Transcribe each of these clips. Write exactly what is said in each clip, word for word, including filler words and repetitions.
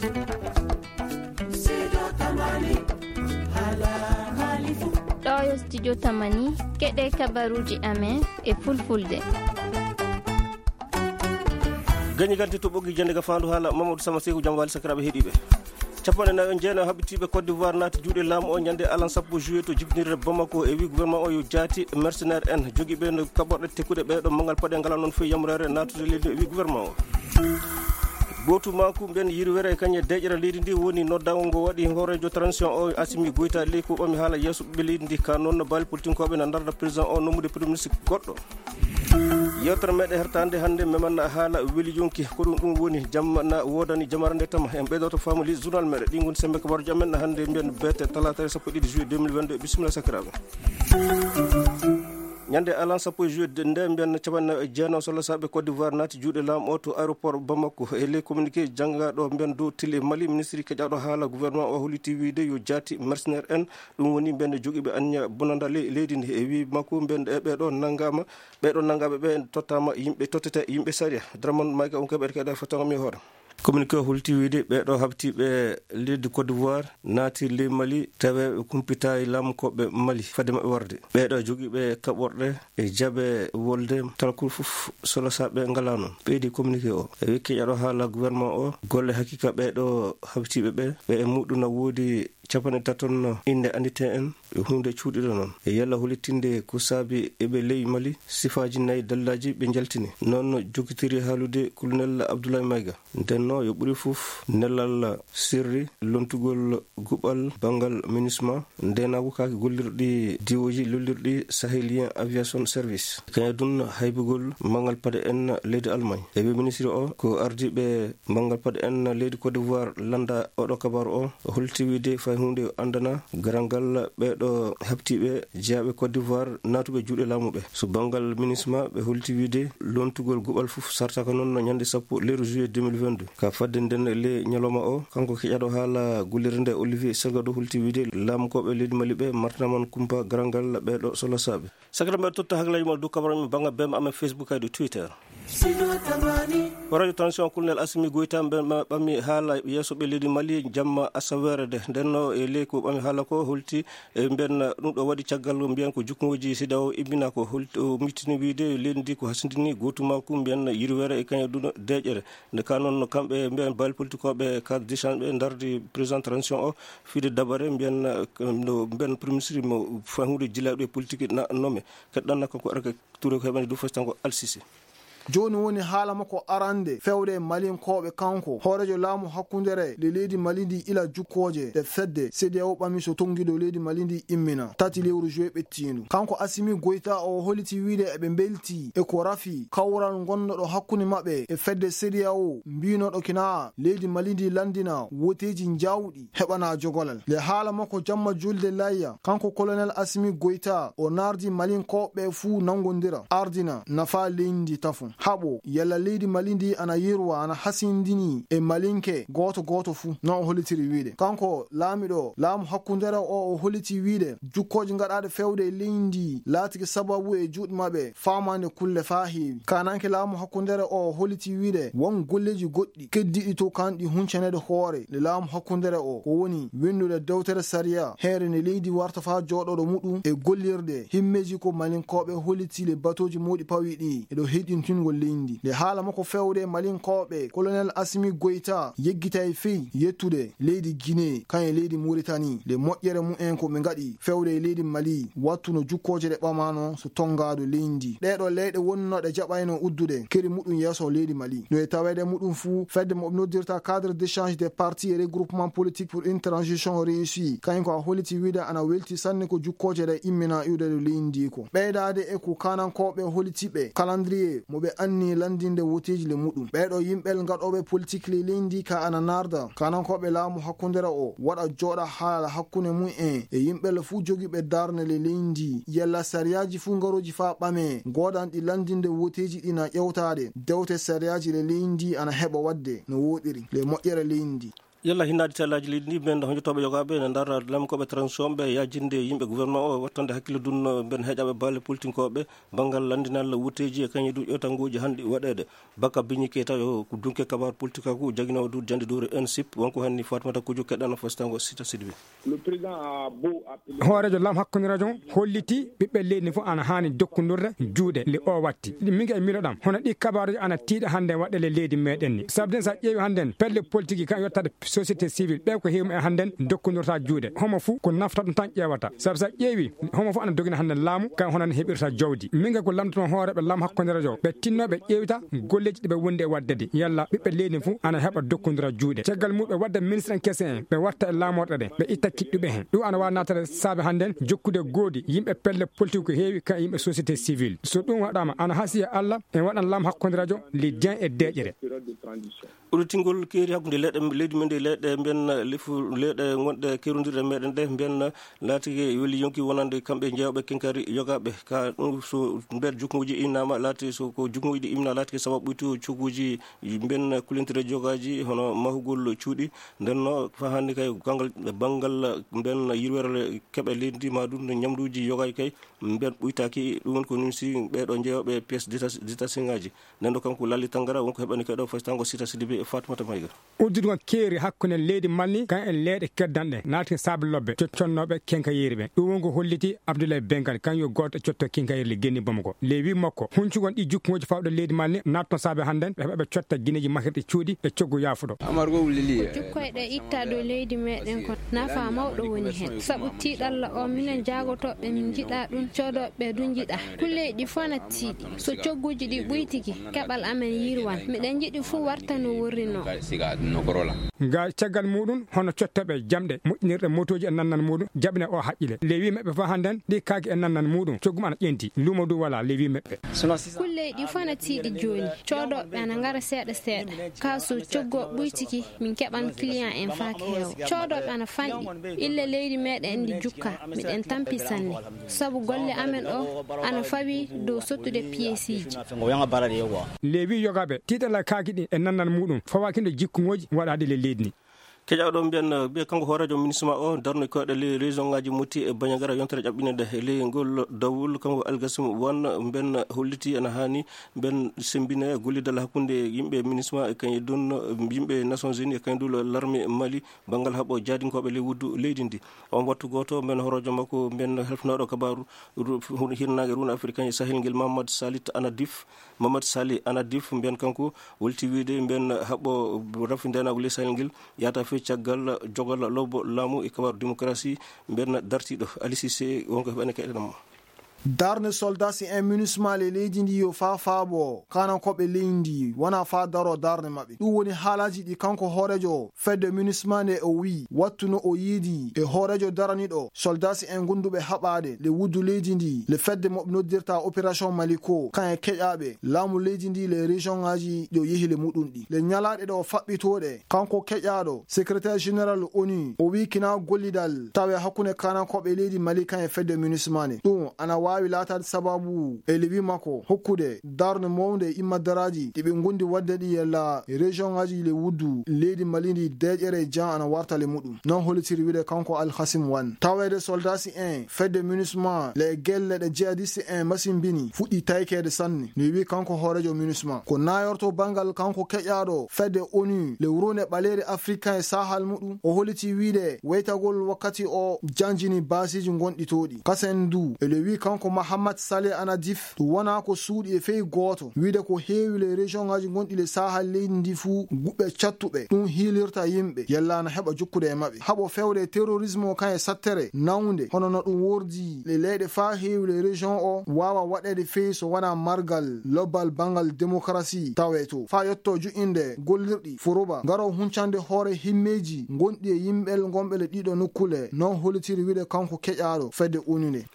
Ɗo yo studio Tamani, keɗe kabaruuji amen e fulfulde. Gañi gante to ɓoggi jannde ga faandu haala Mamadou Sama Seeku, jam waali sakiraaɓe heɗiiɓe. Capanɗe nayo e jeenayo habitiiɓe Côte d'Ivoire naati juuɗe laamu o ñande alan sappo juillet to jibinirde Bamako e wi gouvernement o yo jaati mercenaire en jogiiɓe no kaɓorɗe tekkuɗe ɓeeɗo mangal paɗe ngala noon fof yamureere naatude leydi o wi gouvernement o. Gootu maaku mben yirwere e kañe deƴƴere leydi ndi woni noddaango ngo waɗi hooreejo transition o Assimi Goïta ley ko ɓami haala yeeso ɓe leydi ndi ka noon no baali politinkooɓe na ndarda président o nommude premier ministre goɗɗo. Yewtere meɗen hertande hannde meman haala weli yonki ko ɗum ɗum woni jamma na woodani jamara nde tama en ɓeydoto famili journal meɗen ɗi ngoni sembe kabaruji amen hannde mbiyen beete talaata sappo e ɗiɗi juillet deux mille vingt-deux. Bisimilla sakiraaɓe. Ñande alan sappo e juillet nde mbiyen capanɗe jeenayo solla saaɓe Côte d'Ivoire naati juuɗe laamu o to aéroport Bamako e ley communiqué janngaɗo mbiyen dow télé Mali ministre keƴaɗo haala gouvernement o holliti wiide yo jaati mercenaire en ɗum woni mbiyen jogiiɓe anniya bonanda ley leydi ndi e wi makko mbiyen e ɓeɗo nanngama ɓeɗo nanngaaɓe ɓe tottama yimɓe tottete yimɓe sariya. Dramon mayga on keɓe keɗa fottango mi hoore. Communiqué o holti wiide ɓeɗo habtiiɓe leydi Côte d'Ivoire naati ley Mali tawe ɓe kumpitayi laamu koɓe Mali fade maɓɓe warde ɓeɗo jogiiɓe kaɓorɗe e jaɓe wolde talkol fof solosaɓe ngala noon ɓeydi communiqué o e wekki ƴaɗo haala gouvernement o golle hakika ɓeɗo habtiiɓe ɓe ɓe e muɗum na woodi capanɗe taton innde anndite en e huunde cuuɗiɗo noon e yalla holitinde ko saabi eɓe ley Mali sifaaji nayi dallaaji ɓe njaltini noon jokitiri haalude colonel Abdoulaye Mayga. Ndenno yo ɓuri fof nelal sirri lontugol guɓal banngal minisma ndenaagu kaake gollirɗi diwooji lollirɗi Sahélien Aviation Service. Kañum dun haybugol manngal paɗe en leydi Almaañ. E wi ministre o ko ardiiɓe manngal paɗe en leydi Côte d'Ivoire lannda oɗo kabaru o holti wiide fay huunde anndana garal ngal ɓeeɗo habtiiɓe jeyaaɓe Côte d'Ivoire naatuɓe juuɗe laamu ɓe. So banngal minisma ɓe holti wiide lontugol guɓal fof sartaka noon ñande sappo lewru juillet deux mille vingt-deux. Ka fadde nden le ñalawma o kanko keƴaɗo haala gollirde nde Olivier Salgado holti wiide laamukooɓe leydi Mali ɓe martanaman kumpa garal ngal ɓeeɗo solosaaɓe. Sakata mbeɗa totta haklaaji mon dow kabaruji men bannga bema amen Facebook kadi Twitter. Ko radio transition colonel Assimi Goïta mbe ɓami haala yeeso ɓe leydi Mali jamma asaweere de ndenno e ley ko ɓami haala ko holti e mbiyen ɗum ɗo waɗi caggal mbiyen ko jukkongoji CEDEAO immina ko holti o mittini wiide leydi ndi ko hasindini gootuma ku mbiyen yirwere e kañum ɗum deƴƴere. Nde ka noon kamɓe mbiyen baali politique oɓe cadre d'échange ɓe ndardi président transition o fiide dabare mbiyen no mbiyen premier ministre mo fahude jilaaɗo e politique na noome. Keɗɗanna kanko arka Touré ko heɓani ɗum fasitango Alsisi. Jooni woni haala makko arande fewde e Malinkooɓe kanko hooreejo laamu hakkundere le leydi Mali ndi ila jukkooje ɗe fedde CEDEAO ɓami so tonngido leydi Mali ndi immina tati lewru juillet ɓettiindu. Kanko Assimi Goïta o holiti wiide eɓe mbelti e ko rafi kawral ngonnoɗo hakkunde maɓɓe e fedde CEDEAO mbinoɗo kina leydi Mali ndi lanndina woteeji njawɗi heɓana jogolal. Nde haala makko jamma julde layya, kanko colonel Assimi Goïta o nardi Malinkooɓe fuu nanngondira, ardina, nafa leydi ndi tafo. Haɓo, yalla leydi Mali ndi ana yirwa, ana hasindini e Malinke gooto gooto fuu, no o holitiri wiide. Kanko laamiɗo laamu hakkundere o, o holiti wiide, jukkooji gaɗaaɗe fewde e leydi ndi laatiki sababu e juuɗe maɓɓe faamaande kulle faa heewi. Kaananke laamu hakkundere o, o holiti wiide, won golleeji goɗɗi keddiiɗi to kanɗi huncaneede hoore nde laamu hakkundere o, ko woni winndude dewtere sariya, heere nde leydi warta faa jooɗoɗo muɗum e gollirde himmeeji ko Malinkooɓe holiti le batooji mawɗi pawi ɗi e ɗo heyɗintingol leydi ndi. Nde haala makko fewde Malinkooɓe, Colonel Assimi Goïta yeggitay fey yettude leydi Guinée, kañum e leydi Mauritanie, nde moƴƴere mumen ko ɓe ngaɗi fewde e leydi Mali, wattu no jukkooje ɗe ɓamano so tonngaado leydi ndi. Ɗee ɗoo leyɗe wonno ɗe jaɓayno uddude keri muɗum yeeso leydi Mali. No e taweede muɗum fuu, fedde mo noddirta Cadre d'échange des partis et regroupements politiques pour une transition réussie, kañum ko a holiti wiide ana welti sanne ko jukkooje ɗe immina iwde ɗo leydi ndi ko. Ɓeydaade e ko kaanankooɓe holiti ɓe, calendrier mo ɓe anni lanndinde woteeji le muɗum. Ɓee ɗoo yimɓe ngaɗooɓe politique le leydi ndi ka ana narda, kaanankooɓe laamu hakkundere o, waɗa jooɗa haala hakkunde mumen e yimɓe le fuu jogiiɓe darnde le leydi ndi. Yalla sariyaaji fuu ngarooji faa ɓame, goodanɗi lanndinde woteeji ɗi na ƴewtaade, dewte sariyaaji le leydi ndi ana heɓa waɗde no wooɗiri, le moƴƴere leydi ndi. Yalla hinnaade tellaaji leydi ndi, ɓen honjotooɓe yogaaɓe ene ndaara lamkooɓe transition ɓe yaajinde yimɓe gouvernement o, wattande hakkille dunno ɓen heeƴaaɓe balle politinkooɓe, banngal lanndinal wutteeji e kañum e du ƴeewtanguuji hanɗi waɗeede. Baka Biñi Keita yo ko dunke kabaar politik ko jaginoowo du jannde duure N S I P, wonko hanni Fatmata Kuju keɗɗano fostango Sita Sidibé. Hooreejo Laam Hakkunde Rajo holliti ɓiɓɓe leydi fof ana haani jokkondirde juuɗe le o watti. Min e miijo ɗam, hono ɗi kabaaruji ana tiiɗa hannde waɗde le leydi meɗen ni. Sabu den, sa ƴeewi hannde pelle politique kan yottade société civile, ɓe ko heewi e hannde jokkondirta juuɗe. Homo fof ko nafta ɗum tan ƴeewata. Sabu sa ƴeewi, homo fof ana dogina hannde laamu, kan hono heɓirta jawdi. Min ko lamtoto hooreeɓe Laam Hakkunde Rajo, ɓe tinno ɓe ƴeewta golleeji ɗi ɓe wondi e waɗde ɗi. Yalla ɓiɓɓe leydi fof ana heɓa jokkondira juuɗe. Caggal muɗum ɓe wadda ministre en kese en, ɓe watta e laamorɗe ɗe, ɓe itta kiɗɗuɓe hen. Ɗum ana waawi naatade saabe hannden jokkude goodi yimɓe pelle politique ko heewi ka yimɓe société civile. So ɗum waɗaama, ana hasiya Allah, en waɗan Laam Hakkunde Rajo, le Dieng e deeƴere. Udditingol keeri hakkunde leyɗe, leydi men ndi, leyɗe mbiyen lefu, leyɗe gonɗe kerondirɗe meɗen ɗe, mbiyen laatike weli yonki wonande kamɓe jeewɓe kenkari yogaaɓe. Ka ɗum, so nder jukkuuji imnaama, laati so ko jukkuuji ɗi imna, laatike sababu ɓuytu cogguuji mbiyen kulintire jogaaji, hono mahugol cuuɗi. Nden no fa hannde kay, gangal, banngal mbiyen yirwere keɓe leydi ndi, ma ɗum no ñamduuji yogaaji kay, mbiyen ɓuytaaki. Ɗum woni ko nimsi ɓeeɗo jeewɓe pièce détachée, détachée ŋaaji. Nden ɗo kanko Lali Tangara, wonko heɓani kay ɗo faytango Sita Sidibé e Fatoumata Maïga. Udditgol keeri hakkunde leydi Mali kan e leyɗe keddanɗe naati saabe lobbe co-, connooɓe kenkayeeri ɓe. Ɗum wonko holliti Abdoulaye Bengal, kan yo gooto e cotto kenkayeeri le genni Bamako. Le wi makko, huncugol ɗi jukkuŋooji fawɗo leydi Mali naatno saabe hannden ɓe heɓa ɓe cotta gineeji mahirɗi cuuɗi e coggu yaafuɗo. Jukkoyɗe itta dow leydi meɗen kon, nafa mawɗo woni hen. Sabu tiiɗalla o, minen jaagotooɓe min njiɗa ɗum, coodooɓe du njiɗa. Kulleeji ɗi fof na tiiɗi. So cogguuji ɗi ɓuytiki, keɓal amen yirwan. Miɗen njiɗi fuu warta no worri no. Ga caggal muɗum, hono cottoɓe jamɗe moƴƴinirɗe motooji e nannal muɗum, jaɓine o haqqile. Le wi maɓɓe fof hannden, ɗi kaaki e nannal muɗum, coggu mum ana ƴenti. Luumo du wala, le wi maɓɓe. Kulleeji ɗi fof na tiiɗi jooni. Coodooɓe ana ngara seeɗa seeɗa. Kaa so coggu o ɓuytiki, min keɓan client en faaki heewa. Coodooɓe ana fanɗi. Illa leydi meɗen ndi jukka. Miɗen tampi sanne. Sabu golle amen o ana fawi dow sottude piyeesiiji. Le wi yogaaɓe, tiiɗalla kaaki ɗi e nannal muɗum, fawaaki ndo jikkuŋooji waɗaaɗi le leydi ndi. Keƴaaɗo mbiyen, mbiye kanko hooreejo MINUSMA o, darno koyɗe ley région ŋaaji Moti e Bandiagara, yontere ƴaɓɓinede ley ngol dawol, kanko Algasim Wan, mbiyen holliti ena haani mbiyen semmbina gollidal hakkunde yimɓe MINUSMA e kañum e dun yimɓe Nations Unies e kañum dun l'armée Mali, banngal haɓo jaadinkooɓe ley wuddu leydi ndi. On wattu gooto, mbiyen hooreejo makko, mbiyen helfinooɗo kabaaru ru-, ru-, hirnaange Round Afrique e Sahel ngel, Mamadou Salit Anadif, Mamadou Sali Anadif, mbiyen kanko, wolti wiide, mbiyen haɓo rafi ndeenaagu ley Sahel ngel, yahata fii caggal jogal lobbo laamu e kabaaru démocratie, mbiyen dartiiɗo Ali Cissé, wonko heɓani kayɗe ɗam. Darnde soldat si en MINUSMA le leydi ndi yo faa faabo, kanan ko ɓe leydi ndi, wona faa daro darnde maɓɓe. Ɗum woni haalaaji ɗi kanko hooreejo fedde MINUSMA nde o wi'i, wattu no o yiidi e hooreejo daraniiɗo soldat si en gonduɓe haɓaade le wuddu leydi ndi, le fedde mo ɓe noddirta Opération Maliko, kan e keƴaaɓe laamu leydi ndi, le région ŋaaji ɗo yehi le muɗum ɗi. Le ñalaaɗe ɗo faɓɓitooɗe, kanko keƴaaɗo, secrétaire général ONU, o wi'i kina gollidal tawe hakkunde kanankooɓe leydi Mali kan e fedde MINUSMA nde. Ɗum ana waawi laataade sababu e lewi makko hokkude darnde mawnde e immaddaraaji ɗi ɓe ngondi waɗde ɗi yalla région ŋaaji le wuddu leydi Mali ndi deeƴere jan ana warta le muɗum. Non hollitiri wi'de kanko Al Hasim Wan. Taweede soldat si en fedde MINUSMA le e gelle ɗe jihadiste en masimbini fuɗɗi taykeede sanne. No wi'i kanko hooreejo MINUSMA. Ko naayorto banngal kanko keƴaaɗo fedde ONU le wuronde ɓaleere Afrika e sahal muɗum. O holliti wi'de weytagol wakkati o janjini baasiiji gonɗi toon ɗi. Kasen du, e le wi'i kanko Mahamat Saleh Anadif, ɗum wonaa ko suuɗi e fey gooto. Wi'de ko heewi le région ŋaaji gonɗi le sahal leydi ndi fuu guɓɓe cattuɓe. Ɗum hiilirta yimɓe. Yalla ana heɓa jokkude e maɓɓe. Haɓo fewde terrorisme o kan e sattere nawnde. Hono no ɗum wordi le leyɗe faa heewi le région o waawa waɗeede fey so wonaa margal lobbal banngal démocratie tawe to. Faa yotto juɓɓinde gollirɗi furuba. Ngaro huncande hoore himmeeji gonɗi e yimɓe gonɓe le ɗiɗo nokkule. Non hollitiri wi'de kanko keƴaaɗo fedde ONU nde.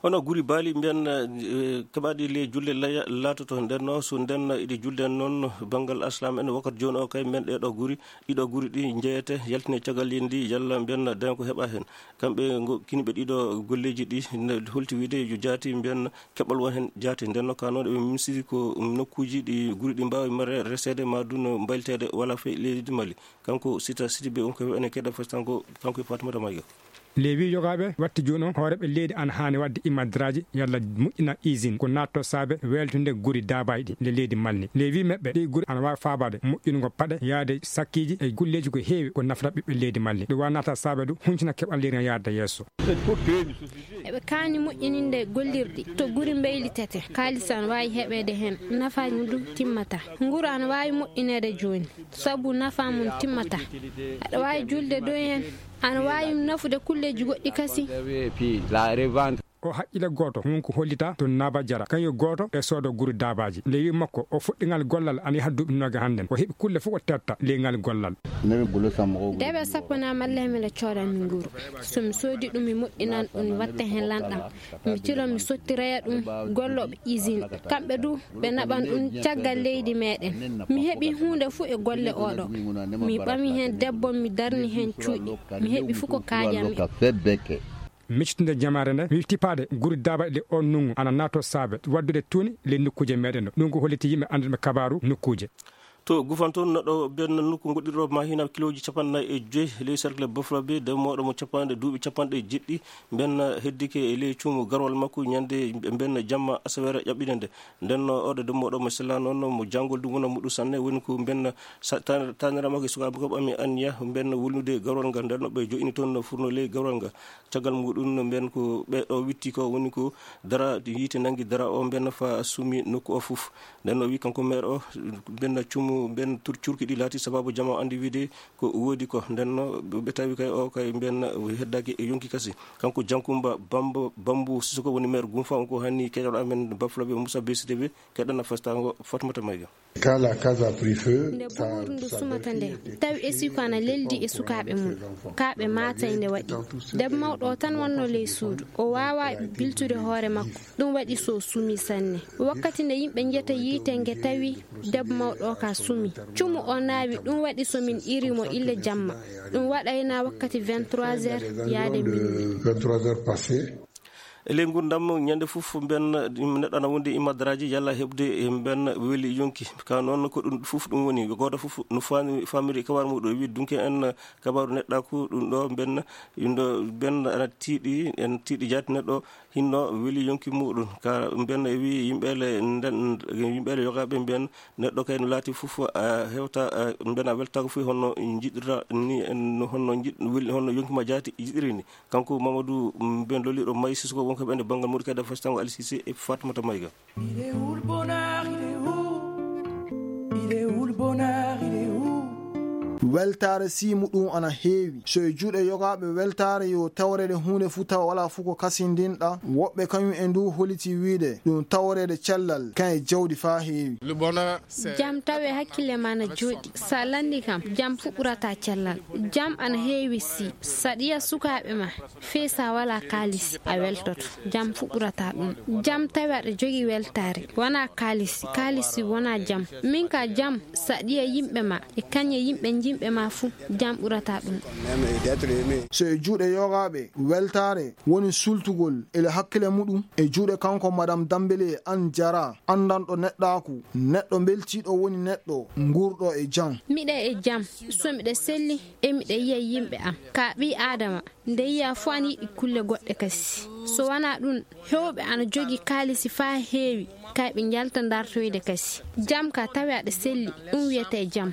Hono guri baali mbiyen, eh, keɓaaɗi ley julde laya laatoto. Nden no so nden iɗi julde noon banngal aslam en, wakkati jooni o kay men ɗee ɗo guri, ɗiɗo guri ɗi njeyete yaltine caggal leydi ndi, yalla mbiyen daña ko heɓa heen. Kamɓe ngo-, kiniɓe ɗiɗo golleeji ɗi, ne holti wiide yo jaati mbiyen keɓal won heen jaati. Nden no ka noon eɓe minisiri ko nokkuuji ɗi guri ɗi mbaawi mare reseede ma du no mbayliteede wala fey leydi Mali. Kanko Sita Sidibe on ko ene keɗa fes kanko, kanko e Fatimata Mayga. Lewi yogaaɓe watti jooni o hooreeɓe leydi ana haani waɗde imadraaji yalla moƴƴina usine ko naatto saabe weltude guri daabaay ɗi nde leydi Mali. Lewi meɓɓe ɗi guri ana waawi faabaade moƴƴingo paɗe yaade sakkiiji e gulleeji ko heewi ko nafata ɓiɓɓe leydi Mali. Ɗum waawi naata saabe du huncina keɓal leydi yaade yeeso. Eɓe kaani moƴƴininde gollirɗi to guri mbeylitete. Kaalis ana waawi heɓeede heen, nafaaji mum du timmata. Nguru ana waawi moƴƴineede jooni, sabu nafaa mum timmata. Aɗa waawi julde dow heen, ana waawi nafude kulleeji goɗɗi kasi. O haqqille gooto, won ko hollita to Naba Jara, kañum gooto e soodo guri daabaaji. Nde wi makko, o fuɗɗingal gollal ana yaha duuɓi nooga hannden. O heɓi kulle fof o tetta ley ngal gollal. Debe sappo na malla hemele coodan mi nguru. So mi soodi ɗum, mi moƴƴinan ɗum, mi watta heen lanɗam. Mi tilo, mi sottiroya ɗum gollooɓe usine. Kamɓe du, ɓe naɓan ɗum caggal leydi meɗen. Mi heɓi huunde fuu e golle oɗo. Mi ɓami heen debbo, mi darni heen cuuɗi. Mi heɓi fuu ko kaajanmi. Miccitinde jamaare nde, mi tippaade guri daabaɗe on nungu ana naato saabe waddude tuuni ley nokkuuje meɗen ɗo. Ɗum ko holliti yimɓe annduɓe kabaaru nokkuuje. To Gufan toon, neɗɗo benn nokku goɗɗirɗo ma hina kilooji capanɗe nayi e joyi ley cercle Bafla Bay, demmooɗo mo capanɗe, duuɓi capanɗe jeɗɗi, benn heddike e ley cuumu garwal makko ñande benn jamma asaweere ƴaɓɓinande. Nden no oɗo demmooɗo mo sella noon mo janngol ɗum wona muɗum sanne, woni ko benn sa-, tan-, taniraama ko e sukaaɓe ko ɓami anniya benn wulnude garwal ngal. Nden no ɓe jo'ini toon no furno ley garwal ngal. Caggal muɗum no mbiyen ko ɓe ɗo witti ko woni ko dara yiite nanngi dara o mbiyen fa sumi nokku o fof. Nden no wi kanko maire o mbiyen cumu mbiyen tur-, curki ɗi laati sababu jama anndi wiide ko woodi ko. Nden no ɓe tawi kay o kay mbiyen heddaaki e yonki kasi. Kanko Jankumba Bamba, Bambu Sissoko woni maire Gumfa on ko hanni keɗoɗo amen Bafulaɓe Moussa B C T V keɗana fastango Fatmata Mayga. Quand la case a pris feu, nde buhuuru ndu sumata nde, tawi esiko ana leldi e sukaaɓe mum. Kaaɓe maatay nde waɗi. Debbo mawɗo o tan wonno ley suudu. O waawaa biltude hoore makko. Ɗum waɗi so sumi sanne. Wakkati nde yimɓe njeta yiite nge tawi debbo mawɗo o ka sumi. Cumu o naawi, ɗum waɗi so min iri mo ille jamma. Ɗum waɗayna wakkati vingt-trois heures yaade minuit. Vingt-trois heures passées. E ley ngurdam, ñande fof mbiyen neɗɗo ana wondi e madaraaji yalla heɓde e mbiyen weli yonki. Ka noon ko ɗum fof ɗum woni, gooto fof no faami, faamiri kabaaru muɗum. Wi dunke en kabaaru neɗɗaaku ɗum ɗo mbiyen, ɗum ɗo mbiyen ana tiiɗi, en tiiɗi jaati neɗɗo hinno weli yonki muɗum. Ka mbiyen e wi yimɓeele nden, yimɓeele yogaaɓe mbiyen neɗɗo kay no laati fof a hewta, a mbiyen a weltaako fof honno jiɗirta ni, en honno jiɗ-, weli honno yonki ma jaati jiɗiri ni. Kanko Mamadou, mm, ben loliɗo Mayi Sissoko, wonko ɓen e banngal Mauritanie, Fastango Ali Cissé e Fatoumata Maïga. Il est où le bonheur, il est où ? Il est où le bonheur, il est où ? Weltaare si muɗum ana heewi. So e juuɗe yogaaɓe weltaare yo tawreede huunde fuu tawa walaa fuu ko kasindinɗa. Woɓɓe kañum en du holiti wiide ɗum tawreede cellal kan e jawdi faa heewi. Le bonheur, c'est... Jam tawe hakkille ma na jooɗi. Sa lanndi kam, jam fuu ɓurata cellal. Jam ana heewi si. Sa ɗiya sukaaɓe ma. Fii sa walaa kaalisi, a weltoto. Jam fuu ɓurata ɗum. Jam tawi aɗa jogii weltaare. Wonaa kaalisi, kaalisi wonaa jam. Min ka jam, sa ɗiya yimɓe ma, e kañe yimɓe jinɓe ma fuu, jam ɓurata ɗum. So e juuɗe yogaaɓe, weltaare woni sultugol ele hakkile muɗum. E juuɗe kanko Madame Dambele Anne Diarra, anndanɗo neɗɗaaku, neɗɗo mbeltiiɗo woni neɗɗo nguurɗo e jam. Miɗa e jam, so miɗa selli, e miɗa yiya yimɓe am. Ka ɓii Aadama, nde yiya fof ana yiɗi kulle goɗɗe kasi. So wonaa ɗum, heewɓe ana jogii kaalisi faa heewi, kay ɓe njalta dartoyde kasi. Jam ka tawi aɗa selli, ɗum wiyetee jam.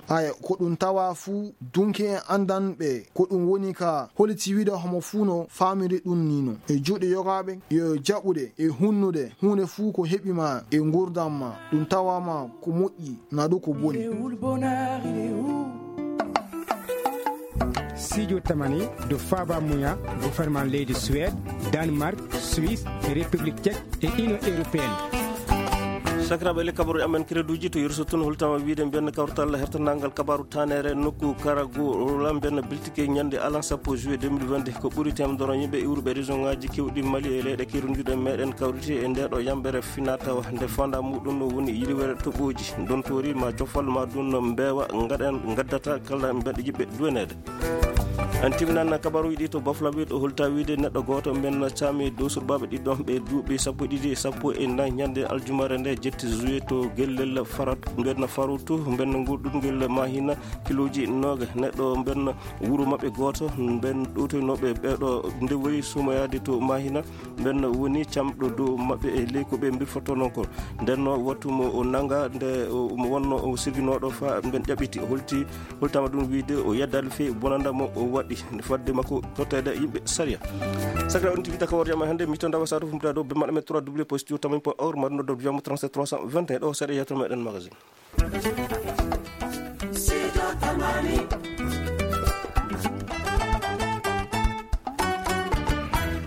Aya, ko ɗum tawa fuu, dunki en anndan ɓe, ko ɗum woni ka holiti wiide homo fuu no faamiri ɗum ni no. E juuɗe yogaaɓe, yo jaɓude e hunnude huunde fuu ko heɓi ma e nguurndam ma, ɗum tawa ma ko moƴƴi. Naɗu ko boni. Sijo tamani do Faba Muya, gouvernement leydi Suède, Danemark, Suisse, République Tchèque et Union Européenne. Sakiraaɓe, le kabaru amen créduji to yerso tun holtama wiide mbiyen kawrital hertanangal kabaru tanere nokku karagu lamben biltike ñande alan sappo juillet deux mille vingt-deux, ko ɓuri temedoro yimɓe iwruɓe région ngaji kewɗi Mali e leyɗe kerunjuɗe meɗen kawriti e nde ɗo yambere finatawa nde fanda muɗum no woni yiliwere toɓoji dontori ma cofal ma ɗum no mbewa ngaɗen ngaddata kala mbeɗa yiɓɓe duwenede. En timminan kabaruuji ɗi to Baflaɓe ɗo holta wiide neɗɗo gooto mben caami dow surbaaɓe ɗiɗon ɓe duuɓi sappo e ɗiɗi e sappo e nayi ñande aljumare nde jetti juillet to gellel Farat mben Farutu mben ngurɗungel Mahina kiloji nooga neɗɗo mben wuro maɓɓe gooto mben ɗowtoynooɓe ɓeɗo ndewoyi sumoyaade to Mahina. Ɓen woni camɗo dow maɓɓe e ley ko ɓe mbirfotono ko. Nden no wattu mo o nanga nde o mo wonno o sirginooɗo fa ɓen ƴaɓɓiti holti holtama ɗum wiide o yeddali fey bonanda mo o waɗi fadde makko totteede yimɓe sariya. Sakra on tigi taka wor yama hannde mi to ndawa sato fumta dow be maɗa me trois w point studio tamin point org maɗa noddo jamo trente-sept trois cent vingt et un ɗo seeɗa yetto meɗen magazine. Sido Tamani.